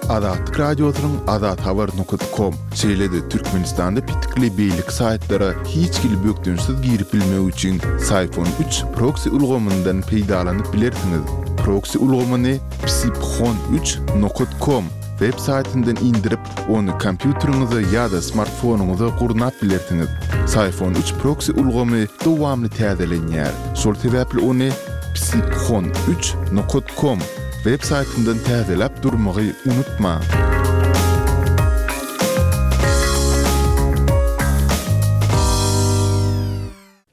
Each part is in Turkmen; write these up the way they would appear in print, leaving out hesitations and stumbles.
Azatlyk Radiosynyň azathabar nokat kom, şeýle-de Türkmenistanda petikli beýleki saýtlara hiç hili bökdençsiz girip bilmek üçin Syphon üç proksi ulgamyndan peýdalanyp bilersiňiz. Proksi ulgamyny psiphon üç nokat kom web saýtyndan indirip, Ony kompýuteriňize ýa-da smartfonyňyza gurnap bilersiňiz. Syphon üç proksi ulgamy dowamly täzelenýär. Şol sebäpli ony psiphon üç nokat kom web saýtyndan täzeläp durmagy unutmaň.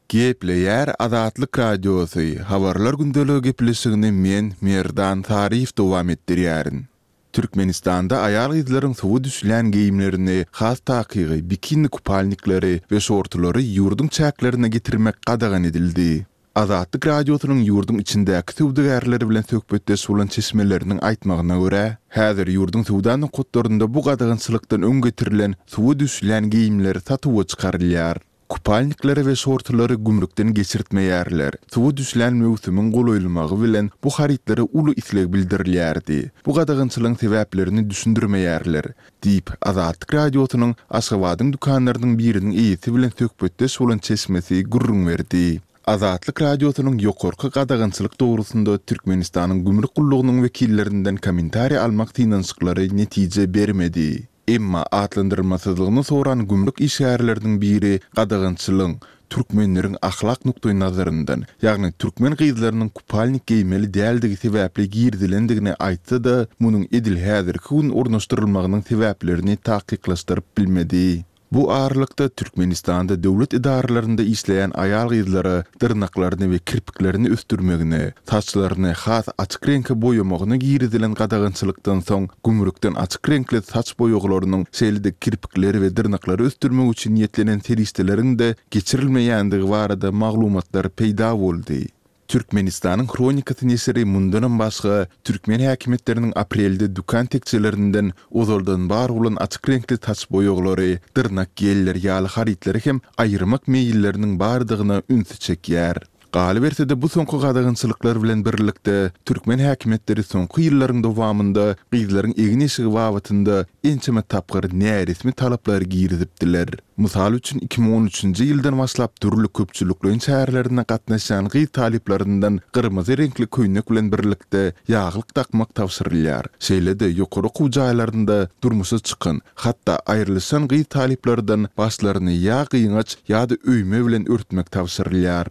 Gepleýär Azatlyk Radiosy, Habarlar gündeligi gepleşigini men, Merdan Saryýew dowam etdirýärin. Türkmenistanda aýal-gyzlaryň suwa düşülýän geýimlerini, has takygy, bikini kupalnikleri we şortulary ýurduň çäklerine getirmek gadagan edildi. Azatlyk Radiosynyň ýurduň içindäki söwdagärleri bilen söhbetdeş bolan çeşmeleriniň aýtmagyna görä, häzir ýurduň söwda nokatlarynda bu gadagançylykdan öň getirilen suwa düşülýän geýimler satuwa çykarylýar. Kupalnikleri we şortulary gümrükden geçirtmeýärler. Suwa düşlän möwsümiň golaýlamagy bilen bu harytlara uly isleg bildirilýärdi. Bu gadagançylygyň sebäplerini düşündirmeýärler, diýip, Azatlyk Radiosynyň Aşgabadyň dükanlarynyň biriniň eýesi bilen söhbetdeş bolan çeşmesi gürrüň berdi. Azatlyk Radiosynyň ýokarky gadagançylyk dogrusynda Türkmenistanyň gümrük gullugynyň wekillerinden kommentariý almak synanyşyklary netije bermedi. Emma atlandyrylmasyzlygyny soran gümrük işgärleriniň biri gadagançylygyň türkmenleriň ahlak nukdaýnazaryndan, ýagny türkmen gyzlarynyň kupalnik geýmeli däldigi sebäpli girizilendigini aýtsa-da, munuň edil häzirki gün ornaşdyrylmagynyň sebäplerini takyklaşdyryp bilmedi. Bu aralykda, Türkmenistanda döwlet edaralarynda işleýän aýal-gyzlara dyrnaklaryny we kirpiklerini ösdürmegine, saçlaryny has açyk reňke boýamagyna girizilen gadagançylykdan soň gümrükden açyk reňkli saç boýaglarynyň, şeýle-de kirpikleri we dyrnaklary ösdürmek üçin niýetlenen serişdeleriň-de geçirilmeýändigi barada maglumatlar peýda boldy. Türkmenistanyň Hronikasy neşiri mundanam başga, türkmen häkimiýetleriniň aprelde dükan tekjelerinden ozaldan bar bolan açyk reňkli saç boýaglary, dyrnak gelleri ýaly harytlary hem aýyrmak meýilleriniň bardygyna ünsi çekýär. Galyberse-de, bu soňky gadagançylyklar bilen birlikde, türkmen häkimiýetleri soňky ýyllaryň dowamynda gyzlaryň egin-eşigi babatynda ençeme tapgyr näresmi talaplary girizipdiler. Mysal üçin, 2013-nji ýyldan başlap dürli köpçülikleýin çärelerine gatnaşýan gyz talyplaryndan gyrmyzy reňkli köýnek bilen birlikde ýaglyk dakmak tabşyrylýar. Şeýle-de, ýokary okuw jaýlarynda durmuşa çykan, hatda aýrylyşan gyz talyplardan başlaryny ýa gyňaç, ýa-da öýme bilen örtmek tabşyrylýar.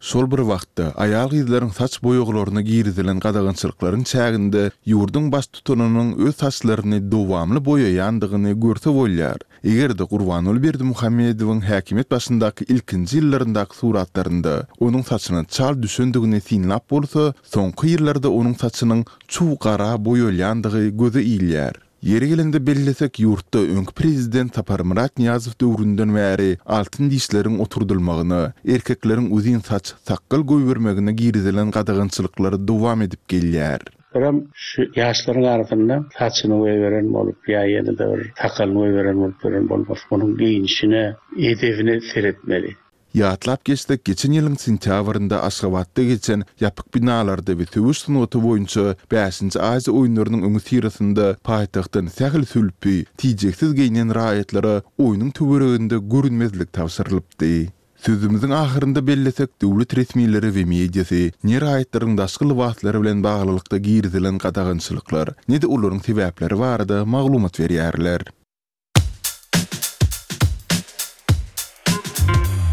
Şol bir wagtda, aýal-gyzlaryň saç boýaglaryna girizilen gadagançylyklaryň çäginde ýurduň baştutanynyň öz saçlaryny dowamly boýaýandygyny görse bolýar. Eger-de Gurbanguly Berdimuhamedowyň häkimiýet başyndaky ilkinji ýyllaryndaky suratlarynda onuň saçyna çal düşendigini synlap bolsa, soňky ýyllarda onuň saçynyň çuw gara boýalýandygy göze ilýär. Ýeri gelende bellesek, ýurtda öňki prezident Saparmyrat Nyýazow döwründen bäri altyn dişleriň oturdylmagyna, erkekleriň uzyn saç, sakgal goýbermegine girizilen gadagançylyklar dowam edip gelýär. Birem şu ýaşlaryň arasynda saçyny goýberen bolup ýa ýene-de bir sakalyny goýberen bolup ýören bolmasyn. Onuň geýnişine, edebine seretmeli. Ýatlap geçsek, geçen ýylyň sentýabrynda Aşgabatda geçen ýapyk binalarda we söweş sungaty boýunça bäşinji Aziýa oýunlarynyň öňüsyrasynda paýtagtdan sähel sülpi, tijeksiz geýnen raýatlara oýnuň töwereginde görünmezlik tabşyrylypdy. Sözümiziň ahyrynda bellesek, döwlet resmileri we mediasy ne raýatlaryň daşky lybaslary bilen baglylykda girizilen gadagançylyklar, ne-de olaryň sebäpleri barada maglumat berýärler.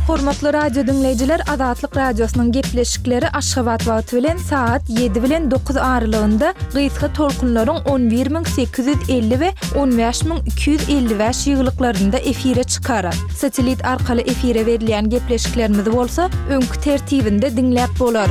Hormatly radio diňleýjiler, Azatlyk Radiosynyň gepleşikleri Aşgabat wagty bilen sagat 7 bilen 9 aralygynda gysga tolkunlaryň 11850 we 15255 ýygylyklarynda efire çykar. Satellit arkaly efire berilýän gepleşiklerimizi bolsa öňki tertibinde diňläp bolar.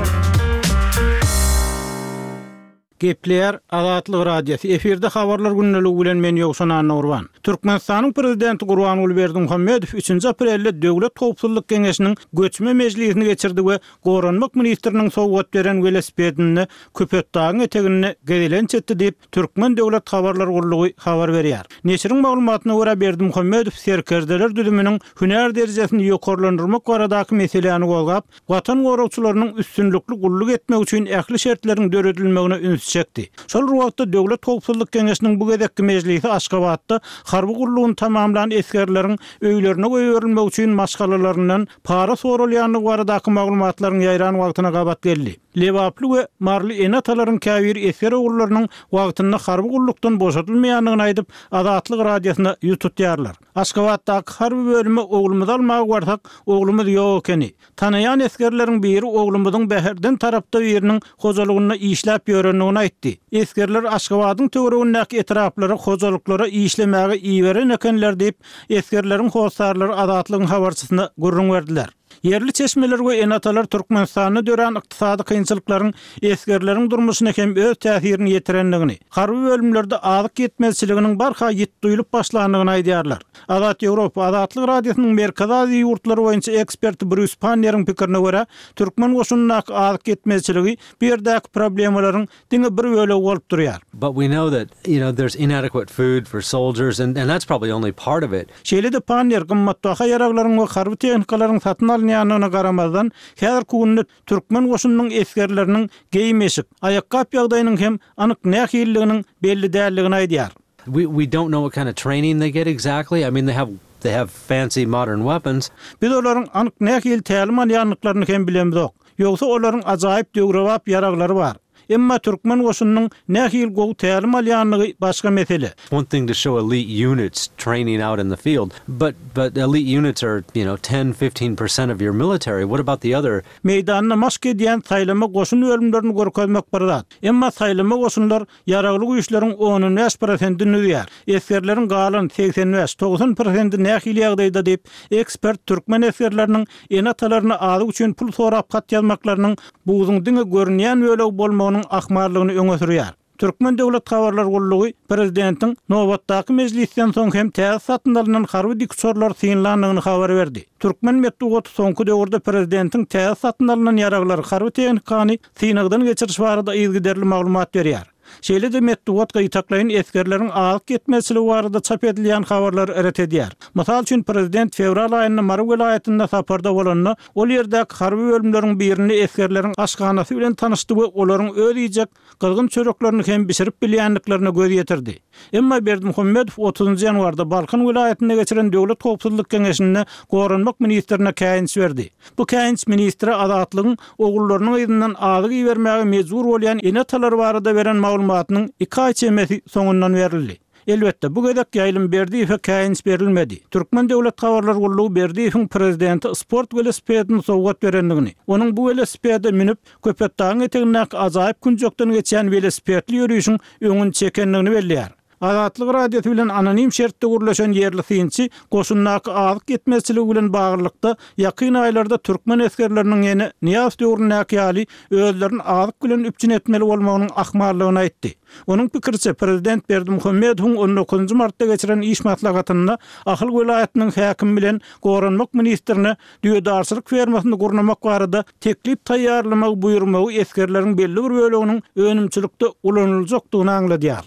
Gepleýär Azatlyk Radiosy, efirde Habarlar gündeligi bilen men Ýowşan Annagurban. Türkmenistanyň Prezidenti Gurbanguly Berdimuhamedow üçünji aprelde Döwlet howpsuzlyk geňeşiniň göçme mejlisini geçirdi we Goranmak ministriniň sowgat beren welosipedinde Köpetdagyň eteginde gezelenç etdi diýip, Türkmen döwlet habarlar gullugy habar berýär. Neşiriň maglumatyna görä, Berdimuhamedow serkerdeler düzüminiň hünär derejesini ýokarlandyrmak baradaky meseläni gozgap, Watan goragçylarynyň üstünlikli gulluk etmegi üçin ähli şertleriň döredilmegine ünsi çekdi. Şol bir wagtda, Döwlet howpsuzlyk geňeşiniň bu gezekki mejlisi Aşgabatda harby gullugyny tamamlan esgerleriň öýlerine goýberilmegi üçin maşgalalaryndan para soralýandygy baradaky maglumatlaryň ýaýran wagtyna gabat geldi. Lebaply we maryly ene-atalaryň käbiri esger ogullarynyň wagtynda harby gullukdan boşadylmaýandygyny aýdyp, Azatlyk Radiosyna ýüz tutýarlar. Aşgabatdaky harby bölüme oglumyzy almaga barsak, oglumyz ýok ekeni. Tanaýan esgerleriň biri oglumyzyň Bäherden tarapda biriniň hojalygynda işläp ýörendigini aýtdy. Esgerleri Aşgabadyň töweregindäki etraplara hojalyklara işlemäge iberen ekenler diýip, esgerleriň hossarlary Azatlygyň habarçysyna gürrüň berdiler. Ýerli çeşmeler we ene-atalar Türkmenistanda dörän ykdysady kynçylyklaryň esgerleriň durmuşyna hem öz täsirini ýetirendigini, harby bölümlerde azyk ýetmezçiliginiň barha ýit duýlup başlandygyny aýdýarlar. Azat Ýewropa, Azatlyk Radiosynyň Merkezi Aziýa ýurtlary boýunça eksperti Brýus Panneriň pikirine görä, türkmen goşunyndaky azyk ýetmezçiligi bu ýerdäki problemalaryň diňe bir bölegi bolup durýar. But we know that, you know, there's inadequate food for soldiers and and that's probably only part of it. Şeýle-de Pannier gymmatbaha ýaraglaryň we harby tehnikalaryň satyn alynýandygyna garamazdan, häzirki günde türkmen goşunynyň esgerleriniň geýim-eşik, aýakgap ýagdaýynyň hem anyk nähililiginiň belli däldigini aýdýar. We we don't know what kind of training they get exactly. I mean they have they have fancy modern weapons. Biz olaryň anyk nähili tälim alýandyklaryny hem bilemzok. Ýogsa olaryň ajaýyp döwrebap ýaraglary bar. Emma türkmen goşunynyň nähili gowy tälim alýandygy başga mesele. One thing to show elite units training out in the field, but but elite units are, you know, ten, 15 percent of your military. What about the other? Meýdanda maşk edýän saýlama goşun bölümlerini görkezmek bir zat. Emma saýlama goşunlar Ýaragly Güýçleriň on-on bäş prosentini düzýär. Esgerleriň galan 85, 90 prosenti nähili ýagdaýda diýip, ekspert türkmen esgerleriniň ene-atalaryna azyk üçin pul sorap hat ýazmaklarynyň buzuň diňe görünýän bölegi bolmagynyň ahmallygyny öňe sürýär. Türkmen döwlet habarlar gullugy prezidentiň nobatdaky mejlisden soň hem täze satyn alnan harby dikuçarlary synlandygyny habar berdi. Türkmen metbugaty soňky döwürde prezidentiň täze satyn alnan ýaraglary, harby tehnikany synagdan geçiriş barada yzygiderli maglumat berýär. Şeýle-de metbugat gytaklaýyn esgerleriň azyk ýetmezçiligi barada çap edilýän habarlary ret edýär. Mysal üçin, prezident fewral aýynda Mary welaýatynda saparda bolanda, ol ýerdäki harby bölümleriň birinde esgerleriň aşhanasy bilen tanyşdy we olaryň öz iýjek gyzgyn çöreklerini hem bişirip bilýändiklerine göz ýetirdi. Emma Berdimuhamedow otuzynjy ýanwarda Balkan welaýatynda geçiren Döwlet howpsuzlyk geňeşinde goranmak ministrine käýinç berdi. Bu käýinç ministre Azatlygyň ogullarynyň yzyndan azyk ibermäge mejbur bolýan ene-atalary barada beren maglumatynyň iki aý çemesi soňundan berildi. Elbetde, bu gezek Ýaýlym Berdiýewe käýinç berilmedi. Türkmen döwlet habarlar gullugy Berdiýewiň prezidente sport welosipedini sowgat berendigini, onuň bu welosipede münüp, Köpetdagyň etegindäki ajaýyp künjekden geçýän welosipedli ýörişiň öňüni çekendigini belleýär. Azatlyk Radiosy bilen anonim şertde gürleşen ýerli synçy goşundaky azyk ýetmezçiligi bilen baglylykda ýakyn aýlarda türkmen esgerleriniň ýene Nyýazow döwründäki ýaly özlerini azyk bilen üpjün etmeli bolmagynyň ahmallygyny aýtdy. Onuň pikiriçe, prezident Berdimuhamedowyň on dokuzynjy martda geçiren iş maslahatynda Ahal welaýatynyň häkimi bilen goranmak ministrine düýedarçylyk fermasyny gurnamak barada teklip taýýarlamagy buýurmagy esgerleriň belli bir böleginiň önümçilikde ulanyljakdygyny aňladýar.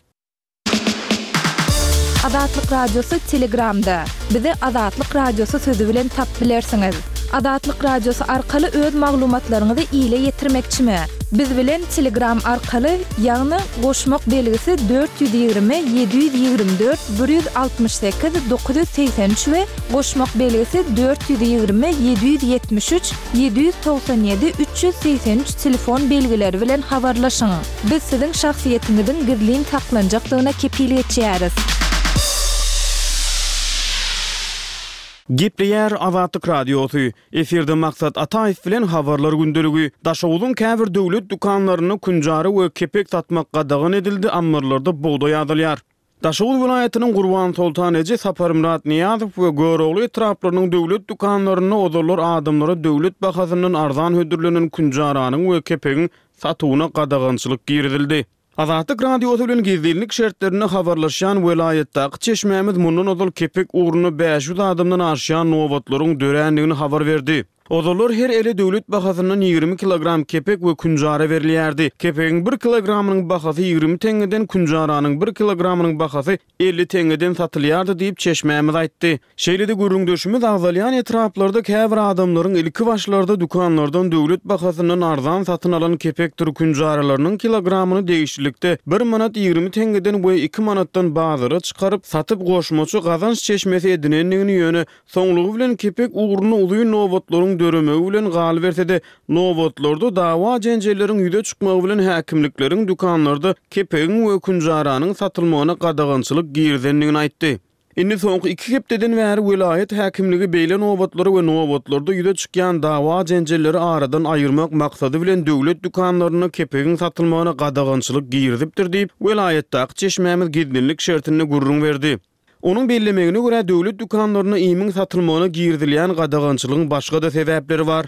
Azatlyk Radiosy Telegramda. Bizi Azatlyk Radiosy sözi bilen tap bilersiňiz. Azatlyk Radiosy arkaly öz maglumatlaryňyzy ile ýetirmekçimi? Biz bilen Telegram arkaly, ýagny goşmak belgisi 420 724 168 983 we goşmak belgisi 420 773 797 383 telefon belgileri bilen habarlaşyň. Biz siziň şahsyýetiňiziň gizlin saklanjakdygyna kepil geçýäris. Gepleýär Azatlyk Radiosy, Efirde Maksat Ataýew bilen Habarlar gündeligi. Daşoguzyň käbir döwlet dükanlarynda künjara we kepek satmak gadagan edildi, ammarlarda bugdaý azalýar. Daşoguz welaýatynyň Gurbansoltan eje, Saparmyrat Nyýazow we Görogly etraplarynyň döwlet dükanlarynda ozallar adamlara döwlet bahasyndan arzan hödürlenen künjaranyň we kepegiň satuwyna gadagançylyk girizildi. Azatlyk Radiosy bilen gizlinlik şertlerinde habarlaşýan welaýatdaky çeşmämiz mundan ozal kepek ugrunda 500 adamdan aşýan nobatlaryň dörändigini habar berdi. Ozallar her ele döwlet bahasyndan 20 kilogram kepek we künjara berilýärdi. Kepegiň bir kilogramynyň bahasy 20 teňňeden, künjaranyň bir kilogramynyň bahasy 50 teňňeden satylýardy diýip, çeşmämiz aýtdy. Şeýle-de gürrüňdeşimiz agzalýan etraplarda käbir adamlaryň ilki başlarda dükanlardan döwlet bahasyndan arzan satyn alan kepekdir künjaralarynyň kilogramyny degişlilikde bir manat 20 teňňeden we iki manatdan bazara çykaryp, satyp goşmaça gazanç çeşmesi edinendigini ýöne Soňlugy bilen kepek ugrunda uzyn nobatlaryň döremegi bilen galyberse-de, nobatlarda dawa-jenjelleriň ýüze çykmagy bilen häkimlikleriň dükanlarda kepegiň we künjaranyň satylmagyna gadagançylyk girizendigini aýtdy. Indi soňky iki hepdeden bäri welaýat häkimligi beýle nobatlary we nobatlarda ýüze çykýan dawa-jenjelleri aradan aýyrmak maksady bilen döwlet dükanlarynda kepegiň satylmagyna gadagançylyk girizipdir diýip, welaýatdaky çeşmämiz gizlinlik şertinde gürrüň berdi. Onuň bellemegine görä, döwlet dükanlarynda iýmiň satylmagyna girizilýän gadagançylygyň başga-da sebäpleri bar.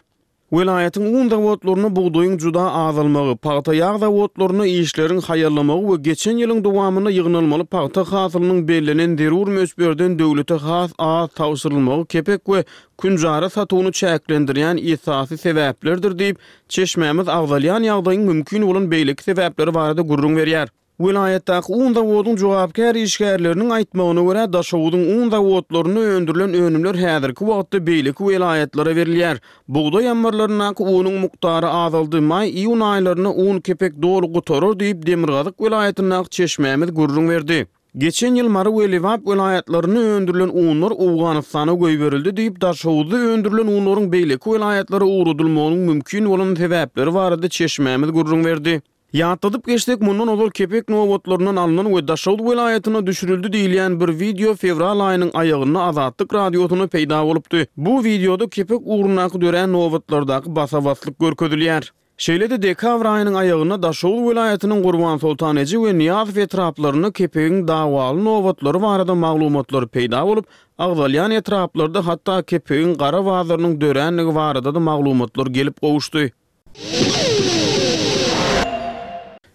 Welaýatyň un zawodlarynda bugdaýyň juda azalmagy, pagta-ýag zawodlarynda işleriň haýallamagy we geçen ýylyň dowamynda ýygnalmaly pagta hasylynyň bellenen zerur möçberden döwlete has az tabşyrylmagy kepek we künjara satuwyny çäklendirýän esasy sebäplerdir diýip, çeşmämiz agzalýan ýagdaýyň mümkin bolan beýleki sebäpleri barada gürrüň berýär. Welaýatdaky un zawodyň jogapkär işgärleriniň aýtmagyna görä, Daşoguzyň un zawodlarynda öndürilen önümler häzirki wagtda beýleki welaýatlara berilýär. Bugdaý ammarlaryndaky unuň mukdary azaldy, maý-iýun aýlarynda un kepek doly gutarar diýip, demirgazyk welaýatyndaky çeşmämiz gürrüň berdi. Geçen ýyl Mary we Lebap welaýatlarynda öndürilen unlar Owganystana goýberildi diýip, Daşoguzda öndürilen unlaryň beýleki welaýatlara ugradylmagynyň mümkin bolan sebäpleri barada çeşmämiz gürrüň berdi. Ýatladyp geçsek, mundan ozal kepek nobatlaryndan alnan we Daşoguz welaýatynda düşürildi diýilýän bir wideo fewral aýynyň aýagynda Azatlyk Radiosynda peýda bolupdy. Bu wideoda kepek ugrundaky dörän nobatlardaky basa-baslyk görkezilýär. Şeýle-de dekabr aýynyň aýagynda Daşoguz welaýatynyň Gurbansoltan eje we Nyýazow etraplarynda kepegiň dawaly nobatlary barada maglumatlar peýda bolup, agzalýan etraplarda hatda kepegiň gara bazarynyň dörändigi barada-da maglumatlar gelip gowuşdy.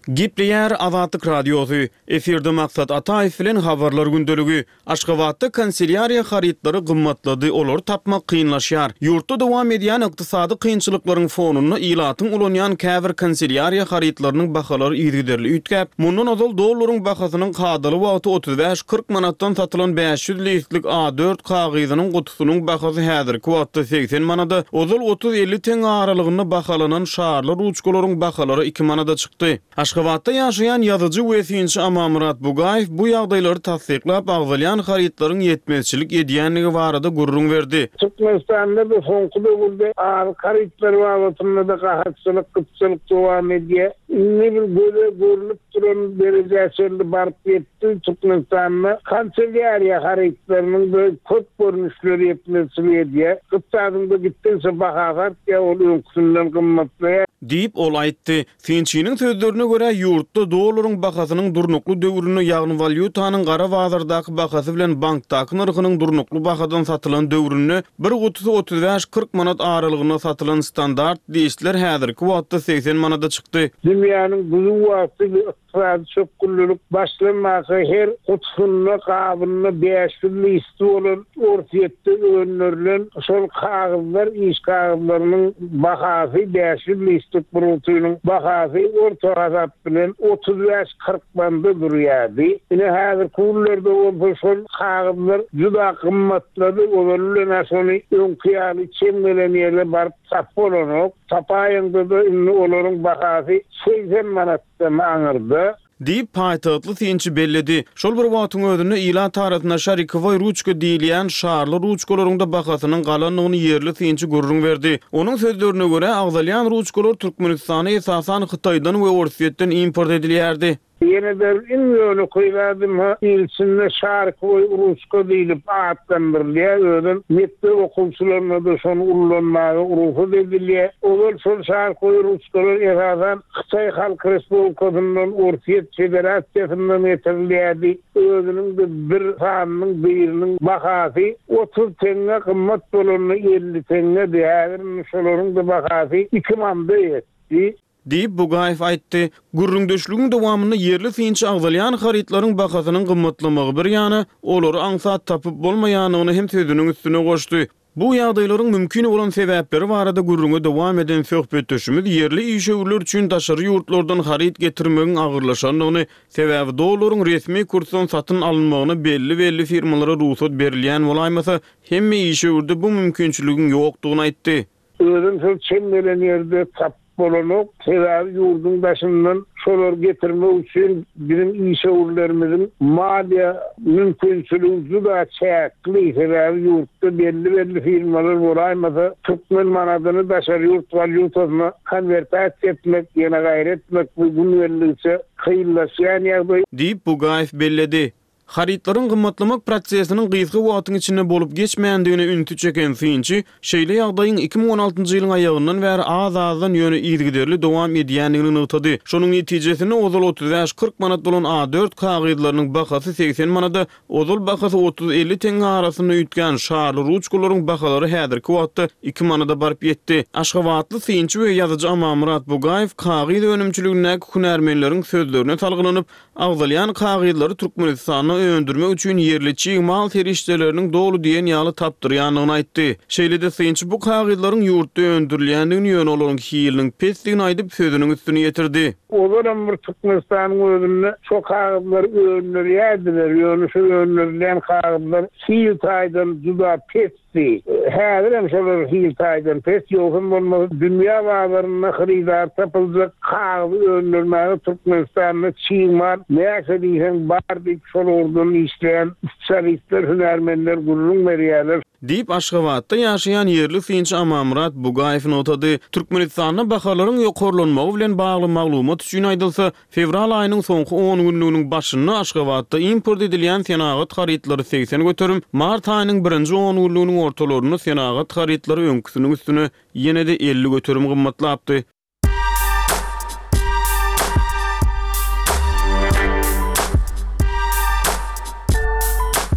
Gepleýär Azatlyk Radiosy, efirde Maksat Ataýew bilen Habarlar gündeligi. Aşgabatda kanselýariýa harytlary gymmatlady, olary tapmak kynlaşýar. Ýurtda dowam edýän ykdysady kynçylyklaryň fonunda ilatyň ulanýan käbir kanselýariýa harytlarynyň bahalary yzygiderli üýtgäp, mundan ozal dollaryň bahasynyň kadaly wagty 35-40 manatdan satylan 500 listlik A dört kagyzynyň Sunuň bahasy häzirki wagtda 80 manada, ozal otuz-elli teňňe aralygynda bahalanan şarly ruçkalaryň bahalary iki manada çykdy. Aşgabatda ýaşaýan ýazyjy we synçy Amanmyrat Bugaýew bu ýagdaýlary tassyklap, agzalýan harytlaryň ýetmezçilik edýändigi barada gürrüň berdi. Türkmenistanda-da soňky döwürde azyk harytlary babatynda-da gahatçylyk, gytçylyk dowam edýär. Indi bir göze görnüp duran derejä çenli baryp ýetdi. Türkmenistanda kanselýariýa harytlarynyň bir köp görnüşleri ýetmezçilik edýär. Gytçadyň-da gitdigiçe bahasy artýar, ol öňküsinden gymmatlaýar. Diýip, ol aýtdy. Synçynyň sözlerine görä, ýurtda dollaryň bahasynyň durnukly döwründe, ýagny walýutanyň gara bazardaky bahasy bilen bankdaky nyrhynyň durnukly bahadan satylan döwründe bir gutusy 35-40 manat aralygynda satylan standart listler häzirki wagtda 80 manada çykdy. Dünýäniň düzüw wagty we ykdysady çökgünlilik başlanmaka her gutusynda, gabynda 500 listi bolan Orsýetde öndürilen şol kagyzlar, iş kagyzlarynyň bahasy 500 listlik bir gutynyň bahasy orta hasap bilen 35-40 manda durýardy. Ine häzirki günlerde bolsa şol kagyzlar juda gymmatlady, ozaly bilen-ä şony öňki ýaly çem gelen ýerde baryp tapyp bolanok. Tapaýaňda-da indi olaryň bahasy 80 manatdan aňyrda. Diýip, paýtagtly synçy belledi. Şol bir wagtyň özünde, ilat arasynda şarikowoý ruçka diýilýän şarly ruçkalaryň-da bahasynyň galandygyny ýerli synçy gürrüň berdi. Onuň sözlerine görä, agzalýan ruçkalar Türkmenistana esasan Hytaýdan we Orsýetden import edilýärdi. Ýene-de iň ýönekeý zadym-ha il içinde şarikowoý ruçka diýlip atlandyrylýar, özem mekdep okuwçylaryna-da şony ullanmaga rugsat edilýär. Ozal şol şarikowoý ruçkalar esasan Hytaý Halk Respublikasyndan, Orsýet Federasiýasyndan getirilýärdi. Özüniň-de bir sanynyň biriniň bahasy 30 teňňe, gymmat bolanda 50 teňňedi. Häzir indi şolaryň-da bahasy iki manda ýetdi. Diýip, Bugaýew aýtdy. Gürrüňdeşligiň dowamynda ýerli synçy agzalýan harytlaryň bahasynyň gymmatlamagy bir ýana, olary aňsat tapyp bolmaýandygyny hem sözüniň üstüne goşdy. Bu ýagdaýlaryň mümkin bolan sebäpleri barada gürrüňe dowam eden söhbetdeşimiz ýerli işewürler üçin daşary ýurtlardan haryt getirmegiň agyrlaşandygyny, sebäbi dollaryň resmi kursdan satyn alynmagyna belli-belli firmalara rugsat berilýän bolaýmasa, hemme işewürde bu mümkinçiligiň ýokdugyny aýtdy. Özem şol çem gelen ýerde tapyp bolanok. Sebäbi ýurduň daşyndan şolary getirmek üçin biziň işewürlerimiziň maliýe mümkinçiligi juda çäkli. Sebäbi ýurtda belli-belli firmalar bolaýmasa, türkmen manadyny daşary ýurt walýutasyna konwertasiýa etmek, ýene gaýry etmek bu gün geldigiçe kynlaşýan ýagdaý. Diýip, Bugaýew belledi. Harytlaryň gymmatlamak prosesiniň gysga wagtyň içinde bolup geçmändigine ünsi çeken synçy, şeýle ýagdaýyň 2016 ýylyň aýagyndan bäri az-azdan, ýöne yzygiderli dowam edýändigini nygtady. Şonuň netijesinde, ozal 35-40 manat bolan A dört kagyzlarynyň bahasy 80 manada, ozal bahasy otuz-elli teňňe arasynda üýtgän şarly ruçkalaryň bahalary häzirki wagtda iki manada baryp ýetdi. Aşgabatly synçy we ýazyjy Amanmyrat Bugaýew kagyz önümçiligindäki hünärmenleriň sözlerine salgylanyp, Agzalýan kagyzlary Türkmenistanda öndürmek üçin ýerli çig mal serişdeleriniň doly diýen ýaly tapdyrýandygyny aýtdy. Şeýle-de synçy bu kagyzlaryň ýurtda öndürilýändigini, ýöne olaryň hiliniň pesdigini aýdyp, sözüniň üstüni ýetirdi. Ozalam bir Türkmenistanyň özünde şo kagyzlary öndürýärdiler, ýöne şo öndürilýän kagyzlar hil taýdan juda pes Pesdi. Häzirem şolar hil taýdan pes, ýogsam bolmasa dünýä bazarynda hyrydar tapyljak kagyzy öndürmäge Türkmenistanda çig mal näçe diýseň bar diýip şol ugurdan işleýän spesialistler, hünärmenler gürrüň berýärler. Diýip, Aşgabatda ýaşaýan ýerli synçy Amanmyrat Bugaýew nygtady. Türkmenistanda bahalaryň ýokarlanmagy bilen bagly maglumat üçin aýdylsa, Fewral aýynyň soňky on günlüginiň başynda Aşgabatda import edilýän senagat harytlary 80%, mart aýynyň birinji on günlüginiň ortalarynda senagat harytlary öňküsiniň üstüne ýene-de 50% gymmatlapdy.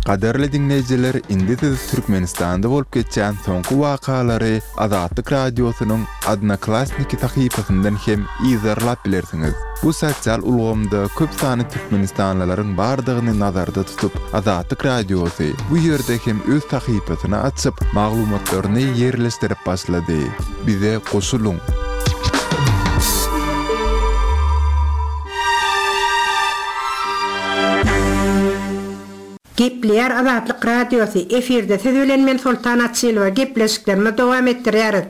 Gadyrly diňleýjiler, indi siz Türkmenistanda bolup geçýän soňky wakalary Azatlyk Radiosynyň Odnoklassniki sahypasyndan hem yzarlap bilersiňiz. Bu sosial ulgamda köp sanly türkmenistanlylaryň bardygyny nazarda tutup, Azatlyk Radiosy bu ýerde hem öz sahypasyny açyp, maglumatlaryny ýerleşdirip başlady. Bize goşulyň! Gepleýär Azatlyk Radiosy, efirde siz bilen men Soltan Açylowa gepleşiklerimizi dowam etdirýäris.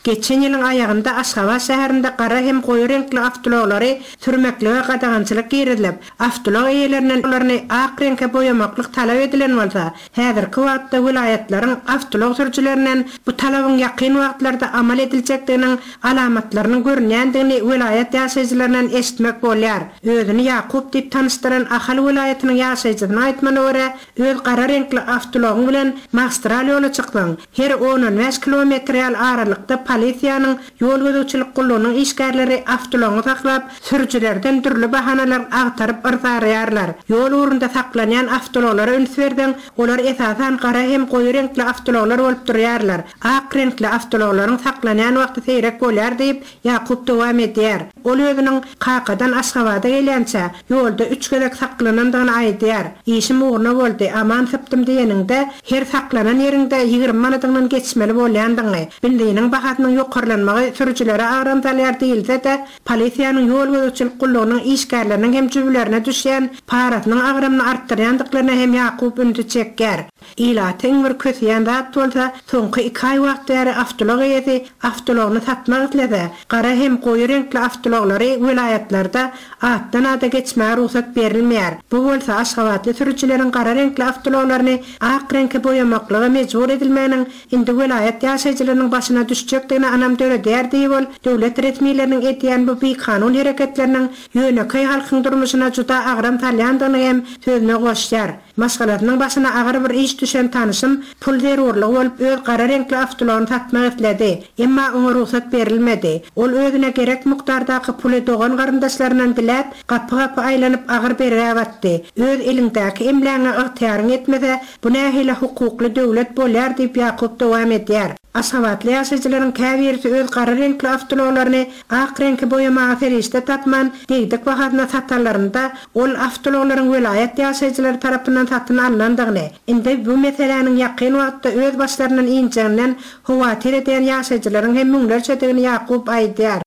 Geçen ýylyň aýagynda Aşgabat şäherinde gara hem goýy reňkli awtoulaglary sürmeklige gadagançylyk girizilip, awtoulag eýelerinden olaryny ak reňke boýamaklyk talap edilen bolsa, häzirki wagtda welaýatlaryň awtoulag sürüjilerinden bu talabyň ýakyn wagtlarda amal ediljekdiginiň alamatlarynyň görünýändigini welaýat ýaşaýjylaryndan eşitmek bolýar. Özüni Ýakup diýip tanyşdyran Ahal welaýatynyň ýaşaýjysynyň aýtmagyna görä, öz gara reňkli awtoulagyň bilen magistral ýola çyksaň, her on-on bäş kilometr ýaly aralykda polisiýanyň ýol gözegçilik gullugynyň işgärleri awtoulagyňy saklap, sürüjilerden dürli bahanalar agtaryp yrsaraýarlar. Ýol ugrunda saklanýan awtoulaglara üns berseň, olar esasan gara hem goýy reňkli awtoulaglar bolup durýarlar. Ak reňkli awtoulaglaryň saklanýan wagty seýrek bolýar diýip, Ýakup dowam edýär. Ol özüniň Kakadan Aşgabada gelýänçä, ýolda üç gezek saklanandygyny aýdýar. Işim ugruna boldy, aman sypdym diýeniňde, her saklanan ýeriňde 20 manadyňdan geçmeli bolýandygyňy, benziniň bahasynyň ýokarlanmagy sürüjilere agram salýar diýilse-de, polisiýanyň ýol gözegçilik gullugynyň işgärleriniň hem jübülerine düşýän parasynyň agramyny artdyrýandyklaryna hem Ýakup ünsi çekýär. Ilaty iň bir köseýän zat bolsa, soňky iki aý wagt bäri awtoulag eýesi awtoulagyny satmak islese, gara hem goýy reňkli awtoulaglary welaýatlarda atdan-ada geçmäge rugsat berilmeýär. Bu bolsa aşgabatly sürüjileriň gara reňkli awtoulaglaryny ak reňke boýamaklyga mejbur edilmeginiň indi welaýat ýaşaýjylarynyň başyna düşjekdigine ynam döredýär diýip ol döwlet resmileriniň edýän bu bikanun hereketleriniň ýönekeý halkyň durmuşyna juda agram salýandygyny hem sözüne goşýar. Maşgalasynyň başyna agyr bir iş düşen tanyşym pul zerurlygy bolup öz gara reňkli awtoulagyny satmak isledi. Emma oňa rugsat berilmedi. Ol özüne gerek mukdardaky puly dogan-garyndaşlaryndan diläp, gapy-gapy aýlanyp agyr bergä batdy. Öz eliňdäki emlägiňe ygtyýaryň ýetmese, bu nähili hukukly döwlet bolýar diýip Ýakup dowam edýär. Aşgabatly ýaşaýjylaryň käbirisi öz gara reňkli awtoulaglaryny ak reňke boýamaga serişde tapman, degdik bahasyna satanlarynda, ol awtoulaglaryň welaýat ýaşaýjylary tarapyndan satyn alnandygyny, indi bu meseläniň ýakyn wagtda öz başlaryndan injeginden howatyr edýän ýaşaýjylaryň hem müňlerçedigini Ýakup aýdýar.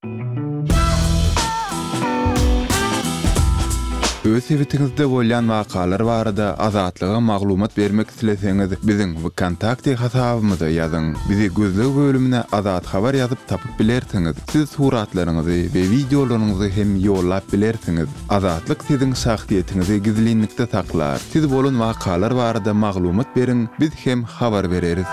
Öz sebitiňizde bolýan wakalar barada Azatlyga maglumat bermek isleseňiz, biziň WKontakte hasabymyza ýazyň. Bizi gözleg bölümine Azat Habar ýazyp tapyp bilersiňiz. Siz suratlaryňyzy we wideolaryňyzy hem ýollap bilersiňiz. Azatlyk siziň şahsyýetiňizi gizlinlikde saklar. Siz bolan wakalar barada maglumat beriň, biz hem habar bereris.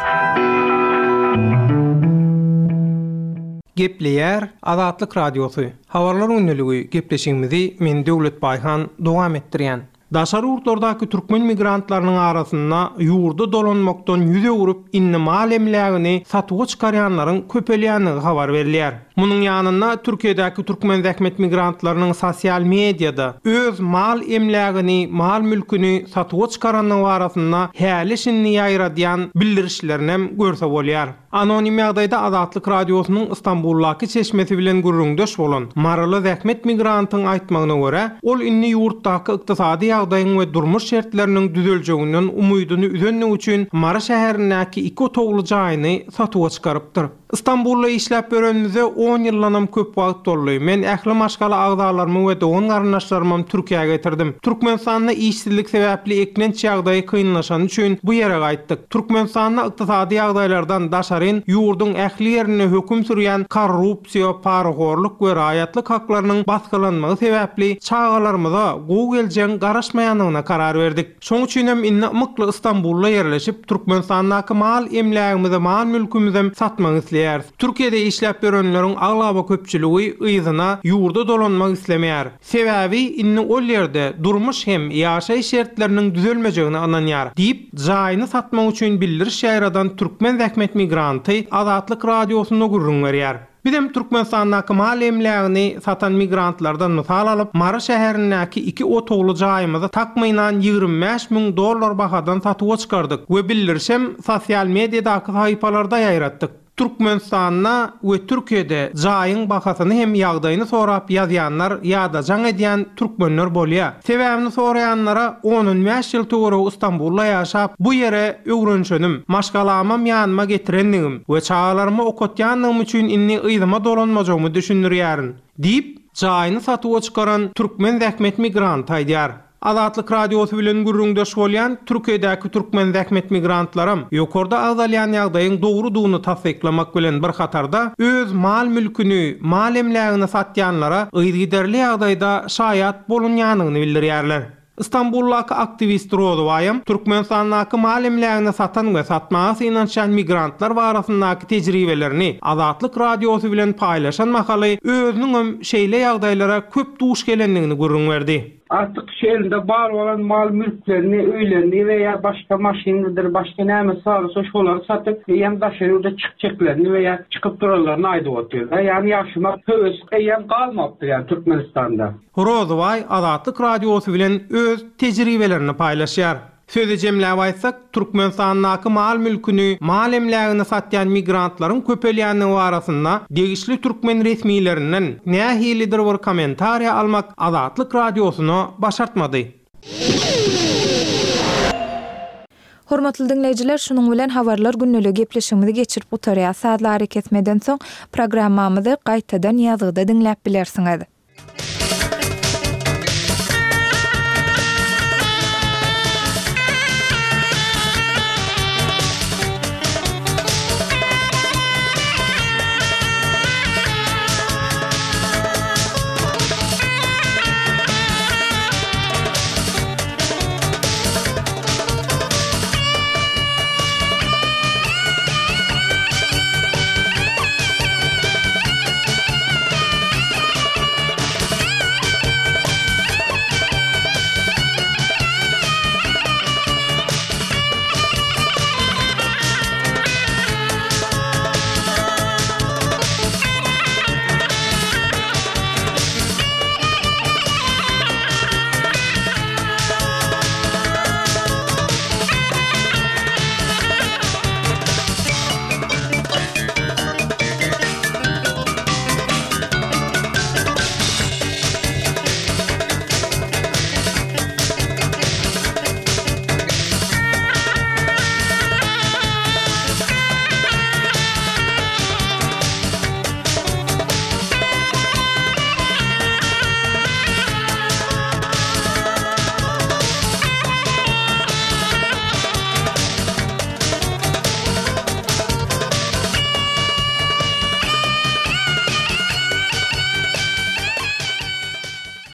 Gepleýär Azatlyk Radiosy, Habarlar gündeligi gepleşigimizi men Döwlet Baýhan dowam etdirýän. Daşary ýurtlardaky türkmen migrantlarynyň arasynda ýurda dolanmakdan ýüz öwrüp, indi mal-emlägini satuwa çykarýanlaryň köpelýändigi habar berilýär. Munuň ýanynda Türkiýedäki türkmen zähmet migrantlarynyň sosial mediada öz mal-emlägini, mal-mülküni satuwa çykarandygy barasynda häli-şindi ýaýradýan bildirişlerinem görse bolýar. Anonim ýagdaýda Azatlyk Radiosynyň Ystambuldaky çeşmesi bilen gürrüňdeş bolan maryly zähmet migrantyň aýtmagyna görä, ol indi ýurtdaky ykdysady ýagdaýyň we durmuş şertleriniň düzeljeginden umydyny üzendigi üçin Mary şäherindäki iki otagly jaýyny satuwa çykarypdyr. Ystambulda işläp ýörenimize on ýyldanam köp wagt boldy. Men ähli maşgala agzalarymy we dogan-garyndaşlarymam Türkiýä getirdim. Türkmenistanda işsizlik sebäpli eklenç ýagdaýy kynlaşany üçin bu ýere gaýtdyk. Türkmenistanda ykdysady ýagdaýlardan daşaryn ýurduň ähli ýerinde höküm sürýän korrupsiýa, parahorluk we raýatlyk haklarynyň basgylanmagy sebäpli çagalarymyza gowy geljegiň garaşmaýandygyna karar berdik. Şoň üçinem indi ymykly Ystambulda ýerleşip, Türkmenistandaky mal-emlägimizi, mal-mülkümizem satmak isleýäris. Türkiýede işläp ýörenleriň aglaba köpçüligi yzyna, ýurda dolanmak islemeýär. Sebäbi indi ol ýerde durmuş hem ýaşaýyş şertleriniň düzelmejegine ynanýar, diýip, jaýyny satmak üçin bildiriş ýaýradan türkmen zähmet migranty Azatlyk Radiosynda gürrüň berýär. Bizem Türkmenistandaky mal-emlägini satan migrantlardan mysal alyp, Mary şäherindäki iki otagly jaýymyzy takmynan 25 müň dollar bahadan satuwa çykardyk we bildirişem sosial mediadaky sahypalarda ýaýratdyk. Türkmenistanda we Türkiýede jaýyň bahasyny hem ýagdaýyny sorap ýazýanlar ýa-da jaň edýän türkmenler bolýa. Sebäbini soraýanlara on-on bäş ýyl töweregi Stambulda ýaşap, bu ýere öwrenşenim, maşgalamam ýanyma getirendigim we çagalarymy okatýandygym üçin indi yzyma dolanmajagymy düşündirýärin, diýip, jaýyny satuwa çykaran türkmen zähmet migranty aýdýar. Azatlyk Radiosy bilen gürrüňdeş bolýan Türkiýedäki türkmen zähmet migrantlaram ýokarda agzalýan ýagdaýyň dogrudygyny tassyklamak bilen bir hatarda, öz mal-mülküni, mal-emlägini satýanlara yzygiderli ýagdaýda şaýat bolunýanyny bildirýärler. Stambuldaky aktiwist Rozybaýam Türkmenistandaky mal-emlägini satan we satmaga synanyşýan migrantlar barasyndaky tejribelerini Azatlyk Radiosy bilen paýlaşan mahaly özüniňem şeýle ýagdaýlara köp duş gelendigini gürrüň berdi. Artyk şu elinde bar bolan mal-mülklerini, öýlerini we ýa başga maşynydyr, başga nämesi bar bolsa şolary satyp, eýýäm daşary ýurda çykjaklaryny we ýa çykyp duranlaryny aýdyp otyrlar. Ýagny ýaşamak höwesi eýýäm galmapdyr ýagny Türkmenistanda. Rozybaý Azatlyk Radiosy bilen öz tejribelerini paýlaşýar. Sözi jemläp aýtsak, Türkmenistandaky mal-mülküni, mal-emlägini satýan migrantlaryň köpelýändigi barasynda degişli türkmen resmilerinden nähilidir bir kommentariýa almak Azatlyk Radiosyna başartmady. Hormatly diňleýjiler, şunuň bilen Habarlar gündeligi gepleşigimizi geçirip gutarýas. Sazly arakesmeden soň programmamyzy gaýtadan ýazgyda diňläp bilersiňiz.